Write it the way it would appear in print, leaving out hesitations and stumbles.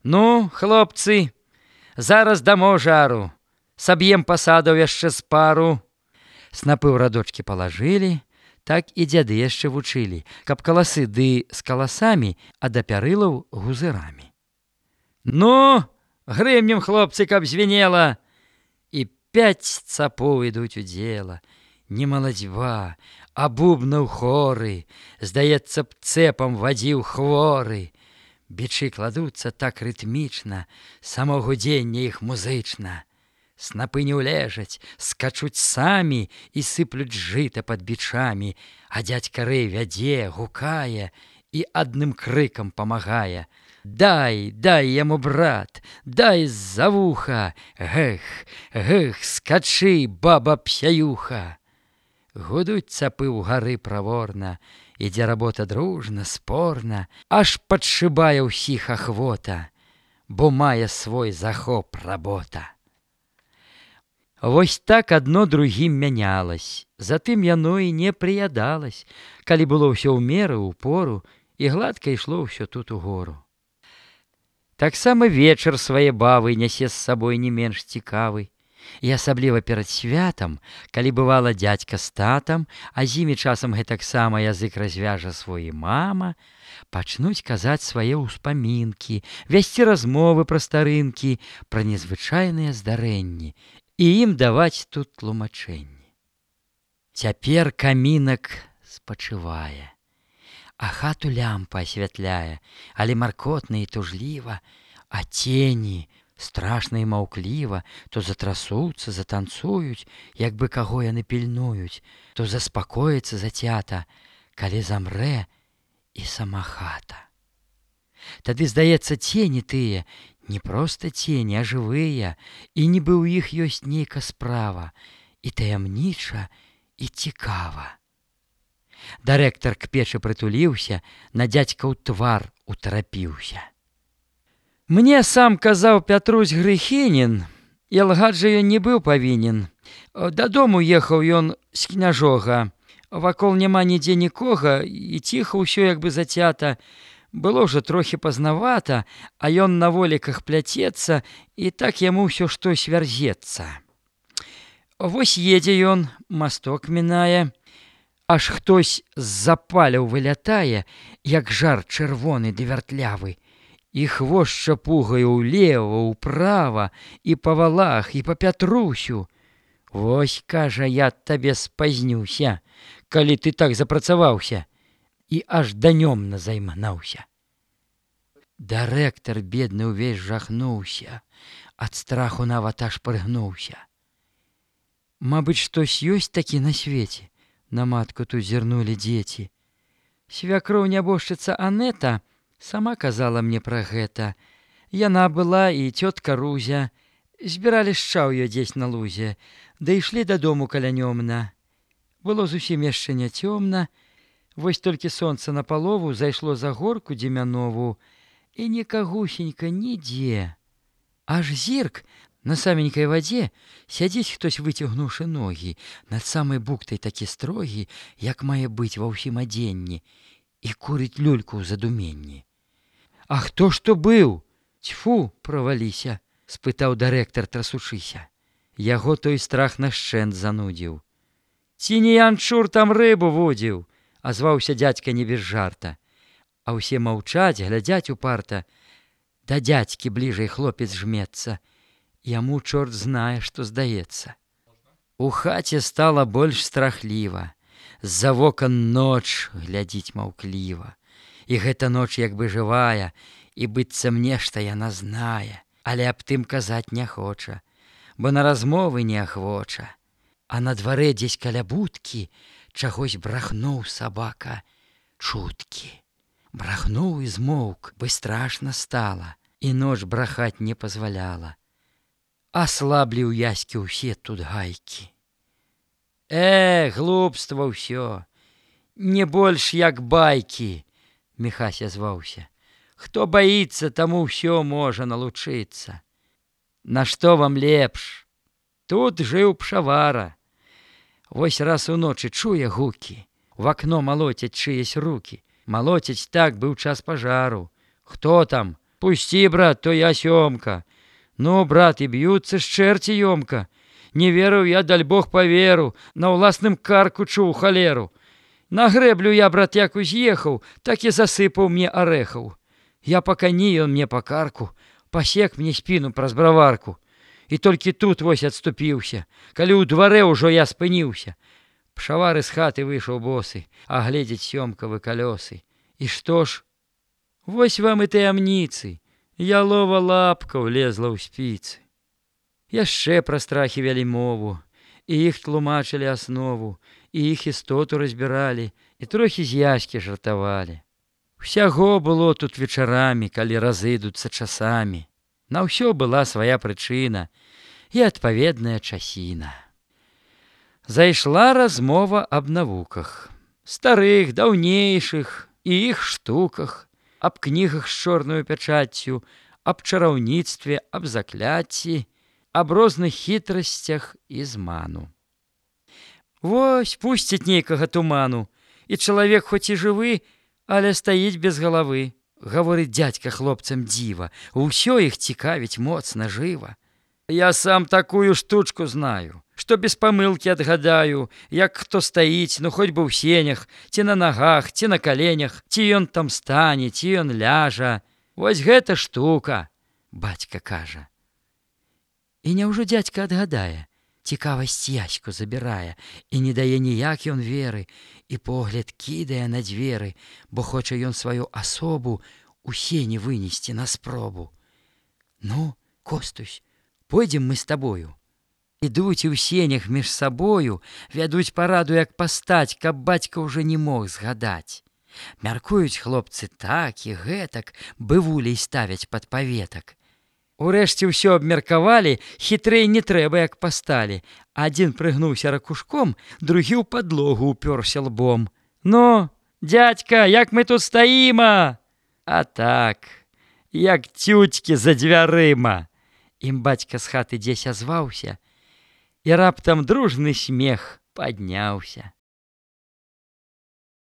Ну, хлопцы, зараз дамо жару, саб'ем пасадаў яшчэ з пару. Снапы ў радочкі палажылі, так і дзяды яшчэ вучылі, каб каласы ды з каласамі, а да пярылаў гузырамі. Ну, грымнем, хлопцы, каб звенела, і 5 цапоў ідуць у дзела. Не маладзьба, а бубнаў хоры, здаецца б, цэпам вадзіў хворы. Бичы кладуцца так рытмічна, само гудзенне іх музычна. Снапы не ўлежаць, скачуць самі і сыплюць жыта пад бичамі, а дзядзька Рэй вядзе, гукае і адным крыкам памагае. Дай, дай яму, брат, дай з-за вуха, гэх, гэх, скачы, баба псяюха. Гудуць цапы ўгары праворна, ідзе работа дружна, спорна, аж падшыбае ўсіх ахвота, бо мае свой захоп работа. Вось так адно другім мянялась, затым яно і не прыядалась, калі было ўсё ў меру, у пору, і гладка ішло ўсё тут угору. Таксама вечар свае бавы нясе з сабой не менш цікавы. І асабліва перад святам, калі бывала дзядзька з татам, а з імі часам гэтаксама язык развяжа свой і мама, пачнуць казаць свае ўспамінкі, весці размовы пра старынкі, пра незвычайныя здарэнні, і ім даваць тут тлумачэнні. Цяпер камінак спачывае, а хату лямпа асвятляе, але маркотна і тужліва, а цені страшна і маўкліва то затрасуцца, затанцуюць, як бы каго яны пільнуюць, то заспакоіцца зацята, калі замрэ і сама хата. Тады, здаецца, цені тыя, не проста цені, а жывыя, і нібы ў іх ёсць нейка справа, і таямніча, і цікава. Дырэктар к печы прытуліўся, на дзядзькаў твар утарапіўся. Мне сам казаў Пятрусь Грыхінін, і лгаць жа ён не быў павінен. Дадому ехаў ён з княжога. Вакол няма нідзе нікога, і ціха ўсё як бы зацята. Было ўжо трохі пазнавата, а ён на воліках пляцецца, і так яму ўсё штось вярзецца. Вось едзе ён, масток мінае, аж хтось з-за паляў вылятае, як жар чырвоны ды вяртлявы. І хвост шапугаю ўлева, ўправа, і па валах, і па Пятрусю. Вось, кажа, я табе спазнюся, калі ты так запрацаваўся, і аж данём назайманаўся. Дырэктар, бедны, увесь жахнуўся, ад страху нават аж прыгнуўся. Мабыць, штось ёсць такі на свеце, на матку тут зірнулі дзеці. Свякроў нябожчыца Анета сама казала мне пра гэта. Яна была і цётка Рузя. Збіралі шчаўе дзесь на лузе, да ішлі дадому калянёмна. Было зусім яшчэ не цёмна, вось толькі сонца напалову зайшло за горку дземянову, і нікагусенька нідзе. Аж зірк, на саменькай вадзе сядзіць хтось, выцягнуўшы ногі, над самай бухтай такі строгі, як мае быць ва ўсім адзенні, і курыць люльку ў задуменні. А хто ж то быў? Цьфу, праваліся, спытаў дырэктар, трасучыся. Яго той страх нашчэнт занудзіў. Ці не янчур там рыбу вудзіў, азваўся дзядзька не без жарта. А ўсе маўчаць, глядзяць упарта. Да дзядзькі бліжэй хлопец жмецца. Яму чорт знае, што здаецца. У хаце стала больш страхліва. З-за вокон ноч глядзіць маўкліва. І гэта ноч як бы жывая, і быццам нешта яна знае, але аб тым казаць не хоча, бо на размовы не ахвоча. А на дварэ дзесь каля будкі чагось брахнуў сабака чуткі. Брахнуў і змоўк, бы страшна стала, і ноч брахаць не пазваляла. Аслаблі ў яські ўсе тут гайкі. Глупства ўсё, не больш як байкі, Міхась азваўся. Хто баіцца, таму ўсё можа налучыцца. Нашто вам лепш? Тут жыў пшавара. Вось раз уночы чуе гукі, в акно малоцяць чыясь рукі. Малоцяць так, быў час пажару. Хто там? Пусти, брат, то я Сёмка. Ну, брат, і б'юцца ж чэрці ёмка. Не верыў я, даль Бог паверу, на ўласным карку чуў халеру. На грэблю я, брат, як уз'ехаў, так і засыпаў мне арэхаў. Я па кані, ён мне па карку, пасек мне спіну праз браварку. І толькі тут вось адступіўся, калі ў дварэ ўжо я спыніўся. Пшавар з хаты выйшаў босы, а гледзець Сёмкавы калёсы. І што ж? Вось вам і таямніцы. Ялова лапка влезла ў спіцы. Яшчэ пра страхі вялі мову, і іх тлумачылі аснову, і іх істоту разбіралі, і трохі з яські жартавалі. Усяго было тут вечарамі, калі разыдуцца часамі. На ўсё была свая прычына і адпаведная часіна. Зайшла размова аб навуках, старых, даўнейшых і іх штуках, аб кнігах з чорнаю пячаццю, аб чараўніцтве, аб закляцці, аб розных хітрасцях і зману. Вось пусціць нейкага туману, і чалавек хоць і жывы, але стаіць без галавы. Гаворыць дзядзька хлопцам дзіва, усё іх цікавіць моцна жыва. Я сам такую штучку знаю, што без памылкі адгадаю, як хто стаіць, ну хоць бы ў сенях, ці на нагах, ці на каленях, ці ён там стане, ці ён ляжа. Вось гэта штука, бацька кажа. І няўжо дзядзька адгадае, цікавасць яську забірае, і не дае ніяк ён веры, і погляд кідае на дзверы, бо хоча ён сваю асобу у сені вынесці на спробу. Ну, Костусь, пойдзем мы з табою. Ідуць і ў сенях між сабою, вядуць параду, як пастаць, каб бацька ўжо не мог згадаць. Мяркуюць хлопцы так і гэтак, бывулей ставяць пад паветак. Урэшце ўсё абмеркавалі, хітрэй не трэба, як пасталі. Адзін прыгнуўся ракушком, другі ў падлогу ўпёрся лбом. Ну, дзядзька, як мы тут стаіма? А так, як цюцькі за дзвярыма. Ім бацька з хаты дзесь азваўся, і раптам дружны смех падняўся.